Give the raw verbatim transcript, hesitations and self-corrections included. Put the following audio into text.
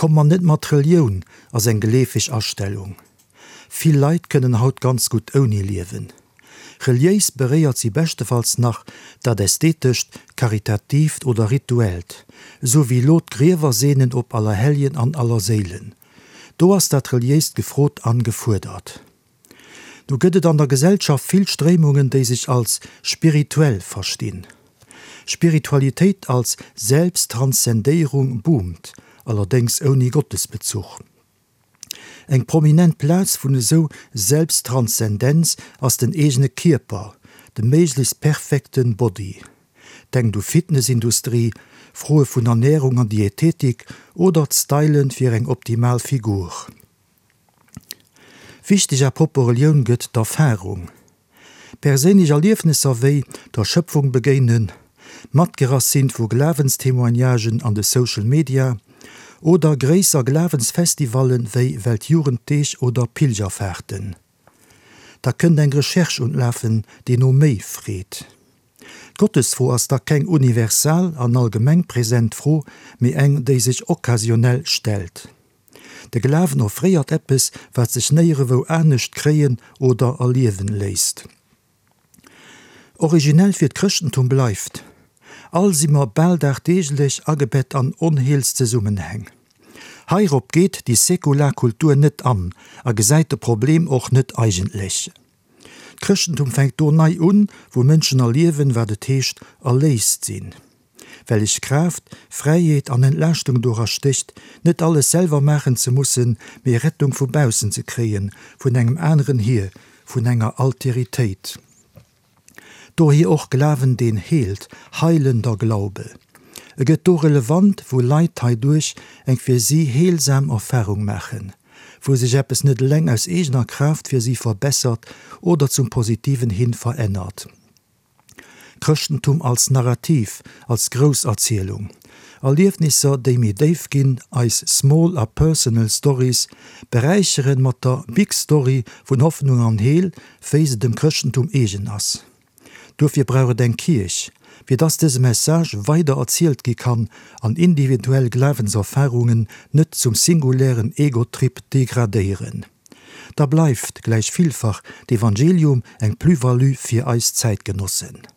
Komm mer net mat Relioun ass eng geleefeg Astellung. Vill Leit kënnen haut ganz gutt ouni liewen. Reliéis beréiert si beschtefalls nach dat Ästhetescht, Karitatiivt oder Rituellt, esou wéi elo d'Griewer seenen op Allerhelljen an Allerséilen. Do ass dat Reliéist gefrot an gefuerdert. Nu gëtt et an der Gesellschaft vill Stréimungen, déi sech als spirituell verstinn. Spiritualitéit als Selbsttranszendéierung boomt, allerdéngs ouni Gottesbezuch. Eng prominent Plaz vun esou Selbsttranszendenz ass den eegene Kierper, de méiglechst perfekte Body. Denkt u Fitnessindustrie, Froe vun Ernärung an Diätetik oder d'Stylen fir eng optimal Figur. Wichteg à propos Relioun gëtt d'Erfarung. Perséinlech Erliefnesser wéi der Schëpfung begéinen, matgerass sinn vu Glawenstémoignagen an de Social Media oder gréisser Glawensfestivallen wéi Weltjugenddeeg oder Pilgerfahrten. Da kënnt eng Recherche un d'Lafen, déi no méi freet. D'Gottesfro ass da keng universal an allgemeng present Fro, mee eng, déi sech occasionell stellt. De Glawen offréiert eppes, wat sech néierewou anescht kréien oder erliewen léisst. Originell fir d'Chrëschtentum bleift, All si mer bal dagdeeglech agebett an Onheelszesummenhäng. Heirop geet déi säkular Kultur net an a gesäit de Problem och net eigentlech. D'Chrëschtentum fänkt do nei un, wou Mënschen erliewen, wat et heescht, erléist sinn. Wellech Kraaft, Fräiheet an Entlaaschtung dora stécht, net alles selwer maachen ze mussen, mee Rettung vu baussen ze kréien, vun engem aneren hier, vun enger Alteritéit. Dohier och Glawen deen heelt, heilender Glaube. E gëtt do relevant, wou Leit heiduerch eng fir si heelsam Erfarung maachen, wou sech eppes net eleng aus eegener Kraaft fir si verbessert oder zum Positiven hin verännert. Chrëschtentum als Narrativ, als Grousserzielung. Erliefnisser, déi méi déif ginn, eis small a personal stories beräicheren mat der big story vun Hoffnung an Heel, wéi se dem Chrëschtentum eegen ass. Dofir brauch et eng Kierch, fir dass dëse Message weider erzielt gi kann an individuell Glawenserfarungen net zum singulären Egotrip degradéieren. Da bleift, gläich villfach, d'Evangelium eng Plus-value fir eis Zäitgenossen.